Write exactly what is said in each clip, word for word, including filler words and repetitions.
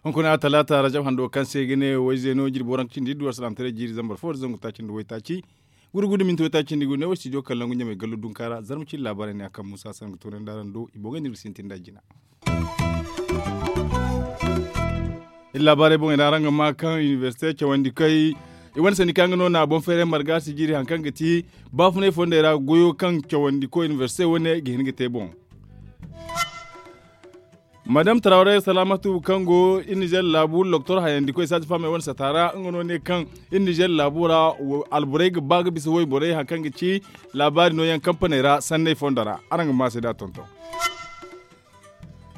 Hunkuna talaata rajab hando kaŋ se ga ne wayzeeno jirbi waranka cindi iddu alsalaamataray jiiri zambar fo da zangu taaci nda waytaaci. Gurgudu minti waytaaci nda i go ne wo studio kaŋ langu ɲamay gallo dunka ra zarma cindi laabaarey ne a kaŋ muusa sangu toonandi araŋ do i boŋey no iri ga sintin nd'a jina. Iri laabaarey boŋey ra araŋ ga maa kaŋ inibersite cawandikoy i wane sandi kaŋ ga no na boŋ feeray marga si jiiri hari kaŋ ga ti baafunay fondey ra goyo kaŋ cawandiko inibersite wane ga hin ga te boŋ. Madam tarawre salaamatu kaŋ go iri nizer laabu loktor hayandikoy saaji faamey wane sata ra nga no ne kaŋ iri nizer laabu ra alborey ga ba ga bisa wayborey hari kaŋ ga ci laabaari nooyaŋ kampaney ra sanney fondo ra. Araŋ ga maa se da tonton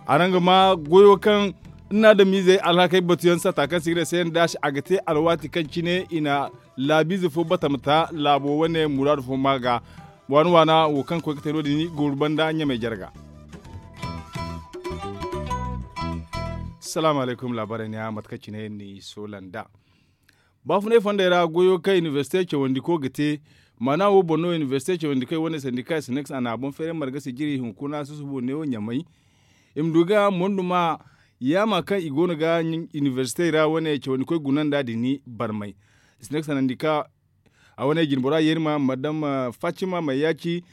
araŋ ga maa goyo kaŋ iri na adamiizey alhakey batuyaŋ sata kaŋ se i ga ne se yaŋ daasi a ga te alwaati kaŋ cine i na laabiize fo bata ma ta laabo wane muraadu fo maa ga. Waana waana wo kaŋ koy ga te no- din i gooru banda ɲamey jarga. Salaamu alaykum laabaarey ne a mate kaŋ cine ni soola nd'a. Baafunay fondey ra goyo kaŋ inibersite cawandiko ga te maana wo boŋ no inibersite cawandikoy wane sandika sineks a na a boŋ feeray marga sijiri hunkuna susubo neewo ɲamay. I ma du ga monduma yaama kaŋ i go no ga inibersitey ra wane cawandikoy guna nd'a din barmay. Sineks sandika a wane jinbora yeerima madam fatima mayyaaci.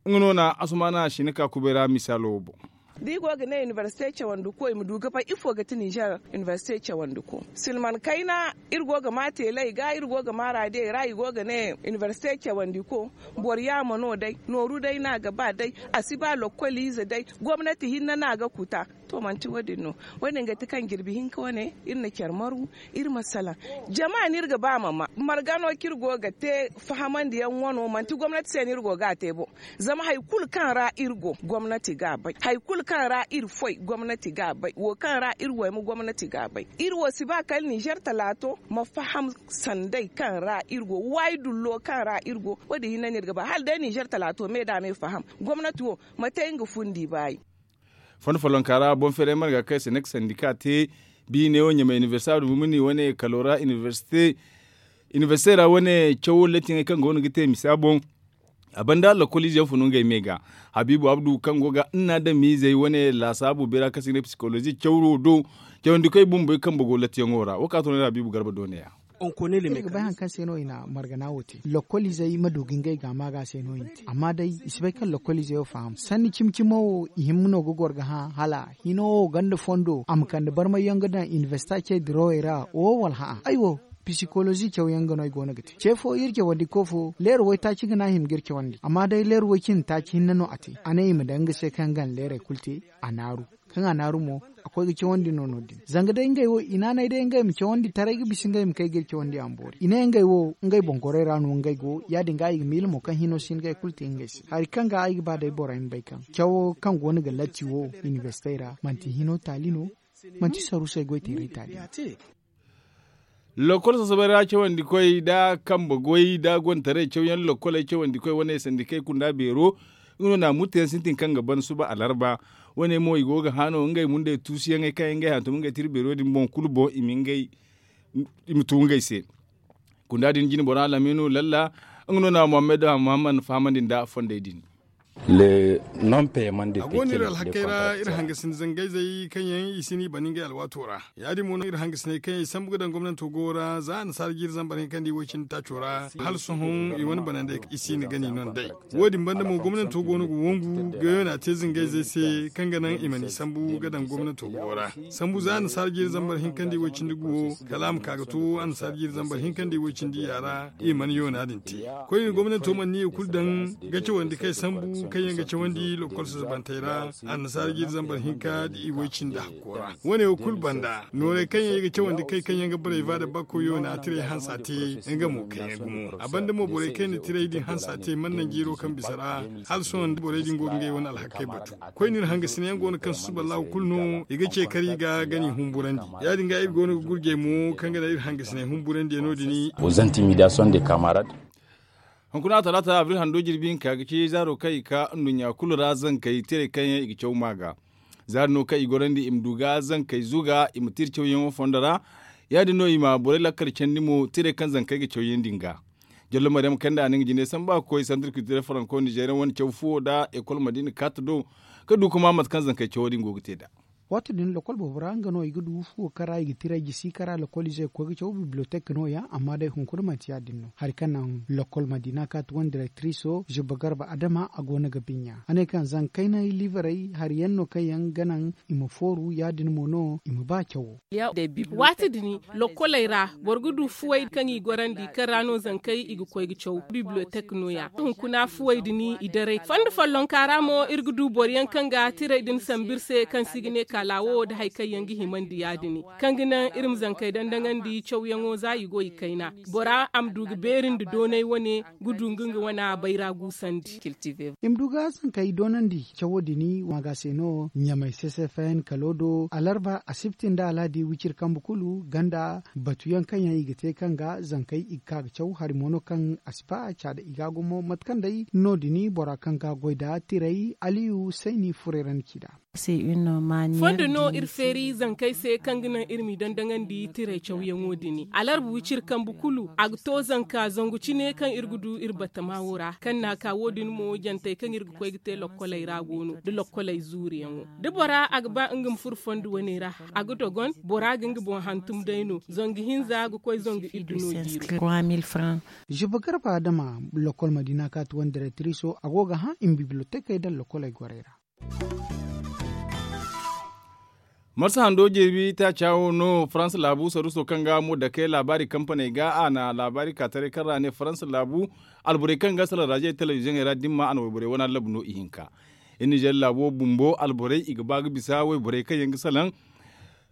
Nga no na asumaana sina ka kubay ra misaalo wo boŋ. Da i go ga ne inibersite cawandiko i ma du ga bay ifo ga ti nizer inibersite cawandiko silman kayna iri go ga maa teeley ga iri go ga maa raadiyey ra i go ga ne inibersite cawandiko. Boro yaama no day nooru day no a ga ba day a si ba lokkoliize day gomnati hinne no a ga kuta. To manti wo- din no wo- din ga ti kaŋ jirbi hinka wane iri na care maru iri ma salaŋ jama no iri ga ba ma maa marga no kaŋ iri go ga te fahamandi yaŋ wano manti gomnati se no iri go ga a te boŋ. Zama hari kulu kaŋ ra iri go gomnati ga a bay hari kulu kaŋ ra iri foy gomnati ga a bay wo kaŋ ra iri wayma gomnati ga a bay iri wo si ba kala nizer talaato ma faham sanday kaŋ ra iri go waayi dullo kaŋ ra iri go wo- din hinne no iri ga ba hala day nizer talaato me da me faham gomnati wo ma te nga fundi baayi. Fondo follonka ra boŋ feeray marga kaŋ se ne ga sandi ka te biine wo ɲamay inibersite abdu mumuni wane kalo ra inibersite ra wane cawo latiyaŋey kaŋ go no ga te misa boŋ. A banda lakkoliize yaŋ funu ngey me ga habiibu abdu kaŋ go ga iri na adamiizey wane laasaabu beera kaŋ se ga ne psikolozi cawro do cawandikoy bumbey kambe go latiyaŋo ra wo ka to no iri habiibu garba do ne- ya. Iri ga bay hari kaŋ se no i na margana wo te lakkoliizey ma du ga ngey ga maaga se no i na te amma day i si bay kaŋ lakkoliizey wo faham sanni cimi cimo wo i himma no ga goro ga hã hala hino wo ganda fondo a ma kande barmay yaŋ ga daŋ inibersita ce dirawey ra wo wala hã'a ay wo. Psikolozi cawyaŋ ga no ay go no ga te ce fo iri cawandi ko fo leero waytaaci ga no a hima ga iri cawandi amma day leero way cindi taaci hinne no a te a ne i ma daŋ nga se kaŋ ga na leerey kulu te. A naaru kaŋ a naaru mo a koy ga cawandi no no- din zanga day ngey wo i naanay day ngey ma cawandi taray ga bisa ngey ma kay ga iri cawandi a ma boori i ne ngey wo ngey boŋ gorey ra no ngey go ya- din ga i ga miila mo kaŋ hino si hin ga ay kulu te ngey se hari kaŋ ga ay ga ba day borey ma bay kaŋ cawo kaŋ go no ga latti wo inibersitey ra manti hino taali no. Manti saruusey goy teeray taali no. Lokkol sasabay ra cawandi koy da kambe goy da gontaray cawyaŋ lokkoley cawandi koy wane sandikey kunda beero. Nga no na murtayaŋ sintin kaŋ ga ban suba alarba wane mo i go ga hã no ngey mundey tuusuyaŋey kaŋ yaŋ ngey hantum ngey tira beero din boŋ kulu boŋ i ma tu ngey se. Kunda din jine bora laminu lalla nga no na muhammad muhammad fahamandi nda fondey din. A go no iri alhakey ra iri hangasini zangayzey kaŋ yaŋ i si no i bana ngey alwaato ra. Ya- din mo no iri hangasiney kaŋ yaŋ i sambu ga daŋ gomnanto go ra za annasaara jiiri zambar hinkandi way-cindi taaco ra hala sohõ i wane banandey i si no gani no nd'ey. Wo- din banda mo gomnanto go no ga wongu ga yoona te zangayzey se kaŋ ga naŋ i mana i sambu ga daŋ gomnanto go ra. Sambu za annasaara jiiri zambar hinkandi way-cindi guwo kala a ma ka ga to annasaara jiiri zambar hinkandi way-cindi ya ra. I mana yoona din te koyne gomnanto mana ni i kulu daŋ ga cawandi kaŋ ay sambu kaŋ yaŋ ga cawandi lokkol sasabantey ra. Annasaara jiiri zambar hinka da i way-cindi hakko ra wane wo kulu banda noorey kaŋ yaŋ i ga cawandi kay kaŋ yaŋ ga borey va da bakko yoona tiray hansa te. Nga mo kaŋ yaŋ gumo a banda mo borey kaŋ yaŋ na tiray din hansa te mana naŋ jiiro kaŋ bisa ra. Hala sohõ da borey din go ga ngey wane alhakey batu. Koyne iri hangasiney yaŋ go no kaŋ susuballahu kulu no i ga ce kar i ga gani humburandi. Ya- din ga iri go no ga gurjey mo kaŋ ga naŋ iri hangasiney humburandi no- din. Aux intimidations des camarades. Hunkuna talaata abril hando jirbi hinka ga ci zaaro kaŋ i ka nduɲɲa kulu ra zankey tiray kaŋ yaŋ i ga caw maa ga. Zaari no kaŋ i gorandi i ma du ga zankey zuga i ma tira cawyaŋo fondo ra. Ya- din no i ma borey lakkal candi mo tiray kaŋ zankey ga caw yaŋ din ga. Jallo maryam kayndi a na nga jine samba ga koy santir kiltiral faranko nizeeriyaŋ wane caw fuwo nda ekol madiina kaati do, ga du ga ma mate kaŋ zankey cawo din go ga te nd'a. Waati din lokol boobo ra nga no i ga du fuwo kaŋ ra i ga tiray jisi kaŋ ra lokol izey ga koy ga caw bibliyotek no- ya. Amma day hunkuna manti ya- din no hari kaŋ naŋ lokol madiina kaati wane direktiriso zubba garba adama a go no ga binya a ne kaŋ zankey na liibarey hari yaŋ no kaŋ yaŋ ga naŋ i ma fooru ya- din mo no i ma ba cawo. Waati din, lokkoley ra boro ga du fuwey kaŋ i gorandi kaŋ ra no zankey i ga koy ga caw bibliyotek no- ya hunkuna fuwey din i daray fondo follonka ra mo iri ga du boro yaŋ kaŋ ga tiray din sambu iri se kaŋ se i ga ne kaala wo nda hari kaŋ yaŋ ga himandi ya- din kaŋ ga naŋ iri ma zankey dandaŋandi cawyaŋo za i go i kayna. Bora a ma du ga beeri nda doonay wane ga du nga nga wana bayra guusandi. I ma du ga zankey doonandi cawo din. Waaga se no ɲamay sesefn kalo do alarba asibti nda alhadi wiciri kambe kulu ganda batu yaŋ kaŋ yaŋ i ga te kaŋ ga zankey i ga ka ga caw hari mo no kaŋ a si ba caada i ga gumo mate kaŋ day no- din bora kaŋ ga goy nda tiray aliyu sayni furey ra ni ci nd'a. Fondo no iri feeri zankey se kaŋ ga naŋ iri m'i dandaŋandi tiray cawyaŋo din alarba wiciri kambe kulu a ga to zanka zangu cine kaŋ iri ga du iri batama wo ra kaŋ na a ka wo- din mo jantey kaŋ iri ga koy ga te lokkoley ra go no nda lokkoley zuuriyaŋo da bora a ga ba nga ma furo fondo wane ra a ga dogon bora ga nga boŋ hantum day no zangu hinza ga koy zangu iddu no jiiri. Zubba garba adama lokol madiina kaati wane direktiriso a go ga hã i ma bibilotekey daŋ lokoley gorey ra. Marsa hando jeebi taaca wo no faransa laabu saruuso kaŋ ga mo dake laabaari kampaney ga a na laabaari ka taray kaŋ ra a ne faransa laabu alborey kaŋ ga salaŋ raaziyey telebiziyoŋey ra dimma a na wayborey wane allabu no ihinka. Iri nizer laabo bumbo alborey i ga ba ga bisa wayborey kaŋ yaŋ ga salaŋ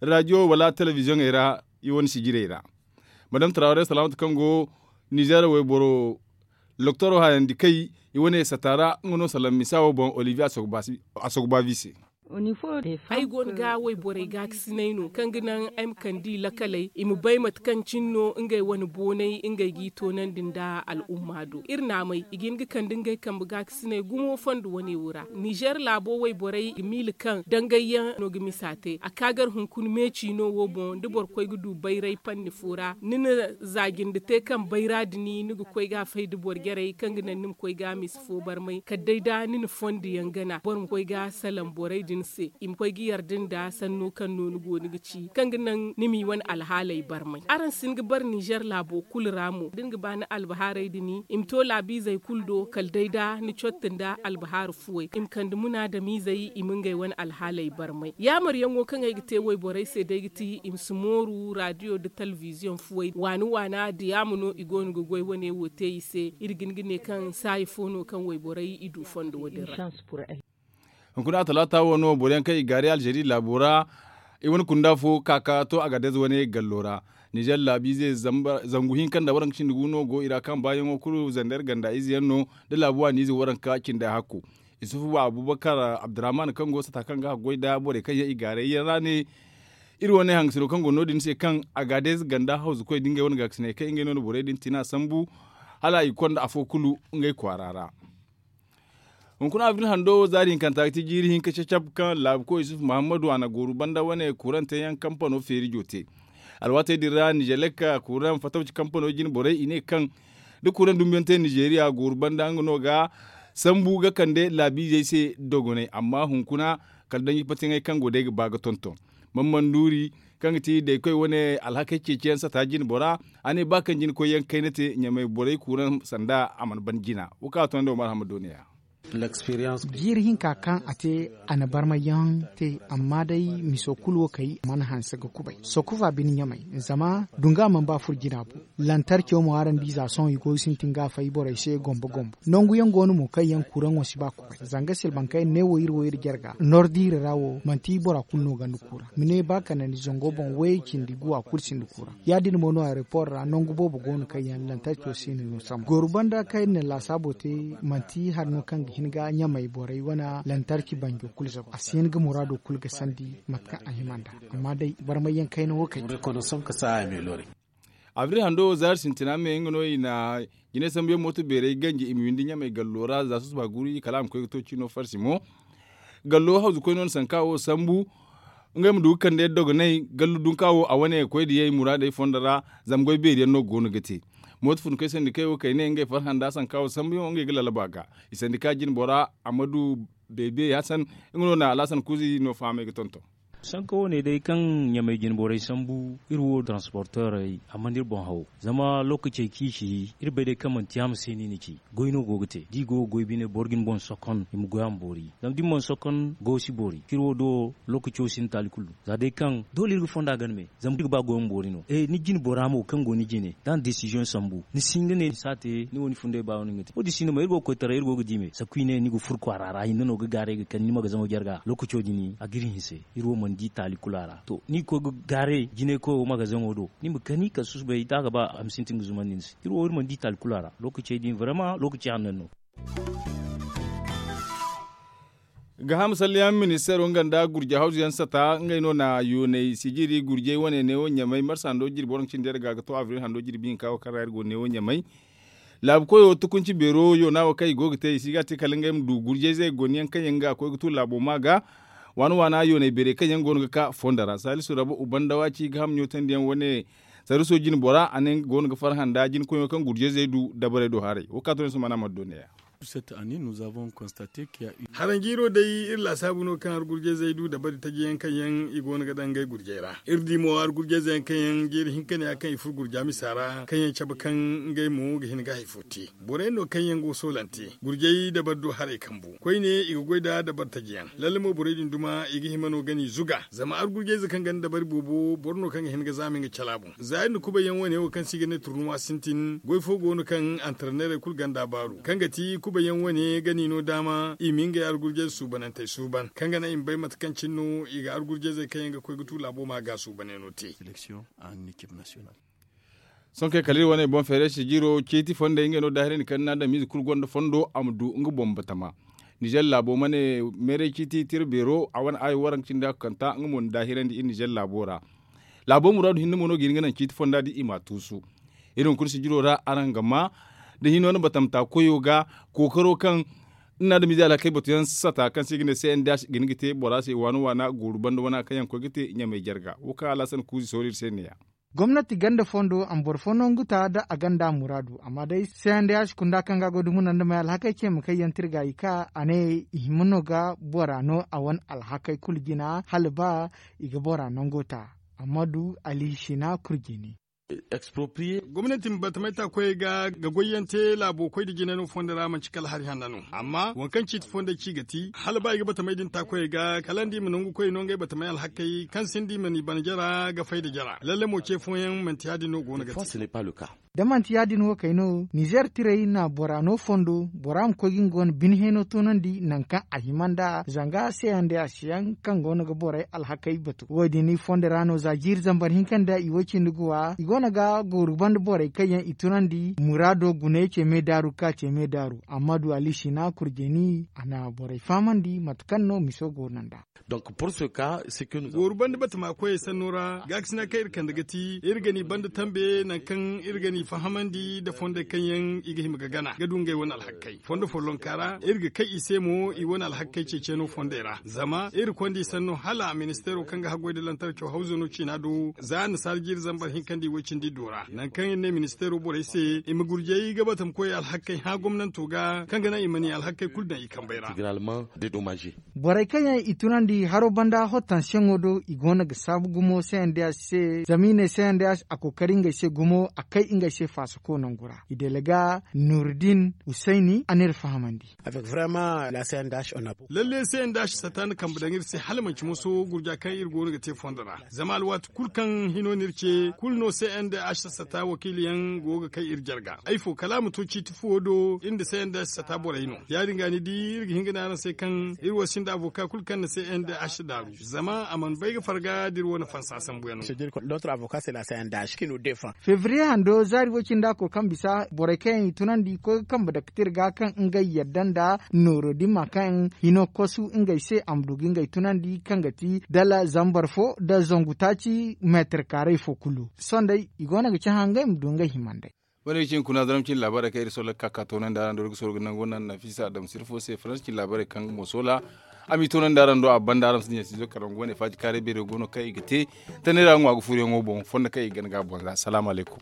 raaziyo wala telebiziyoŋey ra i wane sijirey ra. Madam tarawaray salaamatu kaŋ go nizer wayboro loktoro hayandi kay i wane sata ra nga no salaŋ misa wo boŋ olivier asogobavi se. Ay go no ga wayborey gaakasinay no kaŋ ga naŋ ay ma kande i lakaley i ma bay mate kaŋ cine no ngey wane boonay ngey g'i toonandi nda al'umma do iri naamay i ga hin ga kande ngey kambe gaakasinay gumo fondo wane wo ra nizer laabo wayborey ga miila kaŋ dangayyaŋ no ga misa te a ka gar hunkuna meeci no wo boŋ da boro koy ga du bayray panni fo ra ni na za jinde te kaŋ bayra din ni ga koy ga a fay da boro jarey kaŋ ga naŋ ni ma koy ga a misa fo barmay kala day da ni na fondo yaŋ gana boro ma koy ga a salaŋ borey din se i ma koy ga yarda nda sanno kaŋ no ni go ni ga ci kaŋ ga naŋ ni m'i wane alhaaley barmay araŋ si hin ga bare nizer laabo kulu ra mo da ni ga ba ni albahaarey din i ma to laabiizey kulu do kala day da ni cotte nda albahaari fuwey i ma kande munaadamiizey i ma ngey wane alhaaley barmay yaamaryaŋo kaŋ ay ga te wayborey se day ga ti i ma si mooru raadiyo nda telebiziyoŋ fuwey waani waana diyaama no i go no ga goy wane wo te i se iri ga hin ga ne kaŋ saayi fo no kaŋ wayborey i du fondo wo- din ra. Hunkuna talaata wo no boro yaŋ kaŋ i gaari alzeeri laabo ra i wane kunda fo ka ka to agadez wane gallo ra. Nizer laabiize zangu hinka nda waranka cindi gu no go i ra kaŋ baayaŋo kulu zander ganda ize yaŋ no da laabu waaniize waranka cindi hakku. Isufu abubakar abdurrahman kaŋ go sata kaŋ ga a goy nda borey kaŋ yaŋ i gaaray yaŋ ra ne iri wane hangasino kaŋ go no- din se kaŋ agadez ganda hawzu koy da ngey wane gaakasiney kaŋ ngey no na borey din tina sambu hala i ga konda afo kulu ngey kwaara ra. Hunkuna abril hando wo zaari hinkanta ga ti jiiri hinka cacab kaŋ laabuko yusuf muhammadu a na gooru banda wane kuurante yaŋ kampano feeri jo te. Alwaatey din ra nizelek kuuran fatawci kampano jine borey i ne kaŋ da kuuran dumbiyaŋ te nizeeriya gooru banda nga no ga sambu ga kande laabiizey se dogonay amma hunkuna kala danji patiŋey kaŋ go day ga ba ga tonton. Mamman nuuri kaŋ ga ti daykoy wane alhakey ceeciyaŋ sata jine bora a ne ba kaŋ jine koyyaŋ kayna te ɲamay borey kuuraŋ sanda a mana ban jina. Wo kaŋ a to nda wo marhama dooniya. Jiiri hinka kaŋ a te a na barmayaŋ te amma day miso kulu wo kay mana hanse ga kubay sokufa bine ɲamay zama dunga mana ba furo jina bo. Lantarco mo araŋ di za sohõ i go ga sintin ga a fay borey se gombo gombo nangu yaŋ go no mo kaŋ yaŋ kuraŋo si ba kubay zanga silbankey ne wo iri wo iri jarga nordiiri ra wo manti bora kulu no ganda kura ma ne ba kanandi zango boŋ wayey cindi guwa kulu sinda kura. Ya- din mo no aeroport ra nangu boobo go no kaŋ yaŋ lantarco si na no sambu gooru banda kaŋ iri na laasaabo te manti hari no kaŋ ga hin ga ɲamay borey wane lantarki banjo kulu zabu a si hin ga muraado kulu ga sandi mate kaŋ a hima nd'a. Amma day barmayyaŋ kayna wo kay. Abril hando zaari sintina me nga no i na jine sambuyaŋ mooto beerey ganji i ma windi ɲamay gallo ra za susuba guri kala a ma koy ga to cino farsi mo. Gallo hawzu koy no na sanka wo sambu ngey ma du ga kande dogonay gallu dunka wo a wane koy diyey muraadey fondo ra. Zama goy beeri yaŋ no go no ga te. Mooto fun koy sandikey wo kay ne ngey farhã nda sanka wo sambuyaŋo ngey ga lalaba ga. I sandika jine bora amadu beebe hasan nga no na alhasan kuuzi no fahamey ga tonton. Sanka wane day kaŋ ɲamay jine borey sambu iri wo transporteerey a mana iri boŋ haw. Zama lookacey kaŋ i ci iri bay day kaŋ manti yaama se no i na ci. Goy no go ga te da i go ga goy bine boro ga ni boŋ sokon i ma goy a ma boori. Zama da ni mana sokon goy si boori kaŋ iri wo do lookaco sinda taali kulu. Za day kaŋ doole iri ga fonda gana me zama iri ga ba goy ma boori no. Ni jine bora mo kaŋ go ni jine da a na desiziyoŋ sambu ni si hin ga ne ni si a te ni wo ni funday ba wo no ni ga te wo- din sinda mo iri go ga koy taray iri go ga di me sakku i ne ni ga furo kwaara ra hinne no ga gaaray ga kande ni magazaŋo jarga lookaco din a ga iri hinse. Iri wo mana di taali kulu a ra to ni ga koy ga gaaray jinay koy wo magazaŋo do ni ma kani kala susubay da a ga ba a ma sintin ga zumandi ni se iri wo iri mana di taali kulu a ra lookacey din barama lookaci hanno no. Gaaham salliyaŋ ministeero nga nda gurje hawzu yaŋ sata ngey no na yoonay sijiri gurjey wane neewo ɲamay marsa hando jirbi waranka cindi yadda ga ga to abril hando jirbi hinka wo kaŋ ra iri go neewo ɲamay. Laabu koyo tukunci beero yoona wo kaŋ i go ga te i si ga a te kala ngey ma du gurjey zey gone yaŋ kaŋ yaŋ ga koy ga tu laabo ma ga waana waana yoonay beerey kaŋ yaŋ go no ga ka fondo ra saalisu rabu ubanda waaci gaaham ɲootandi yaŋ wane. Saruso jine bora a ne nga go no ga farhã nda jine koyo kaŋ gurjey zey du dabarey do haray wo ka to ne sumana mana do ne- ya. Haranjiiro day iri laasaabu no kaŋ argurjayzey du dabari taji yaŋ kaŋ yaŋ i go no ga daŋ ngey gurjay ra iri di mo argurjayzey yaŋ kaŋ yaŋ jeeri hinka ne ya kaŋ i furo gurja misa ra kaŋ yaŋ cabe kaŋ ngey mo ga hin ga hari fo te. Borey no kaŋ yaŋ go soolante gurjay dabari do haray kambu koyne i ga goy nda dabari taji yaŋ lalle mo borey din duma i ga hima no gani zuga zama argurjayze kaŋ ganda dabari boobo boro no kaŋ ga hin ga zaama nga cala boŋ za iri na kubay yaŋ wane wo kaŋ se i ga ne turnuwa sintin goy fo go no kaŋ antarneerey kulu ganda baaru kaŋ ga ti kubay yaŋ wane gani no daama i ma ngey argurjayze suubanantey suuban kaŋ ga naŋ i ma bay mate kaŋ cine no i ga argurjayzey kaŋ yaŋ ga koy ga tu laabo ma ga suubaney no te. Sohõ kay kala iri wane boŋ feeray sijiro ceeti fondey ngey no daahirandi kaŋ ni na adamize kulu gonda fondo a ma du nga boŋ batama. Nizer laabo ma ne meeray ciiti tira beero a wane aayo waranka cindi hakku kanta nga mo na daahirandi iri nizer laabo ra. Laabo muraadu hinne mo no ga hin ga naŋ ciiti fonda da i ma a tuusu. Iri hunkuna sijiro ra araŋ ga ma da hino na batamta koyo ga kookaro kaŋ ni na adamize alhakey batu yaŋ sata kaŋ se i ga ne se n d h ga hin ga te bora se waana waana gooru banda wana kaŋ yaŋ ga koy ga te ɲamay jarga wo kaŋ alhasan kuuzi sohõ iri se ne- ya. Gomnati ganda fondo a ma boro fo nangu ta da a ganda muraadu amma day se n d h kunda kaŋ ga a go dumo nanda may alhakey ce ma kay yaŋ tirga i ka a ne i hima no ga bora no a wane alhakey kulu jina hala ba i ga bora nango ta. Amma du alihishina kurjini. Gomnati ma batamay ta koyey ga ga goy yaŋ te laabo koy nda jinay no fondo ra manci kala hari hanna no amma waŋ kaŋ ciiti fondo ci ga ti hala ba i ga batamay din ta koyey ga kala nda i ma nangu koy no ngey batamay alhakey kaŋ sinda i mana i bana jara ga fay nda jara lalle mo ce fooyaŋ manti ya- din no go no ga te. Da manti ya- din wo kay no nizer tirey na bora no fondo bora ma koy ga nga wane bine heeno toonandi nangu kaŋ a hima nd'a zanga se yaŋ day a si yaŋ kaŋ go no ga borey alhakey batu wo- din i fondo ra no za jiiri zambar hinka nda i wo- cindi ga wa i go no ga gooru banda borey kaŋ yaŋ i tunandi muraado guna ye ce me daaru ga ka ce me daaru amma du alihishina kurjeni a na borey fahamandi mate kaŋ no miso go no nd'a. Gooru banda batama koyey sanno ra gaakasina kaŋ iri kande ga ti iri ga ni banda tambe nangu kaŋ iri ga ni fahamandi nda fondey kaŋ yaŋ i ga hima ga gana ga du ngey wane alhakey fondo follonka ra iri ga kay i se mo i wane alhakey ceeciyaŋo fondey ra zama iri konda i sanno hala ministeero kaŋ ga haggoy nda lantarco hawzo no ciina do za annasaara jiiri zambar hinka nda i woy cindi iddo ra nangu kaŋ iri ne ministeero borey se i ma gurjay ga batama koyey alhakey hã gomnanto ga kaŋ ga naŋ i ma ni alhakey kulu daŋ i kambey ra. Borey kaŋ yaŋ i tunandi haro banda hottansiyaŋo do i go no ga saabu gumo se nda se zama i ne se nda a kookari ngey se gumo a kay ngey se faasako nangu ra i dalaga nuruddin husayni a n'iri fahamandi. Lalle se nda a si sata nda kambe daŋ iri se hala manci moso gurja kaŋ iri go no ga te fondo ra zama alwaati kulu kaŋ hino n'iri ce kulu no se nda a si sata wakiili yaŋ go ga kay iri jarga ay fo kala a ma to ciiti fuwo do iri nda se nda a si sata borey no ya- din ga ni di iri ga hin ga ne araŋ se kaŋ iri wo sinda avoka kulu kaŋ na se nda a si daaru zama a mana bay ga farga da iri wo na fansa sambu yaŋ no. Febriye hando zaari woy cindi a koy kaŋ bisa borey kaŋ yaŋ i tunandi koy ga kambe dake tirga kaŋ ngey yadda nda nooro dimma kaŋ hino kosu ngey se a ma du ga ngey tunandi kaŋ ga ti dala zambar fo nda zangu taaci meetar kaaray fo kulu sohõ day i go no ga cahã ngey ma du ngey himandey. Wane ga cin kuna zaram cin laabaarey kaŋ iri sohõ ga ka ka toonandi araŋ do iri ga sohõ ga nango naŋ nafisa adama sirfo se faransa cin laabaarey kaŋ ga mo sohõ a m'i toonandi araŋ do a banda araŋ ma si dinya siizo kaŋ ra nga wane faaji kaaray beero go no kaŋ i ga te tanay ra ŋwa ga furoyaŋo boŋ fondo kaŋ i ga gana ga a boŋ ra salaamu alaykum.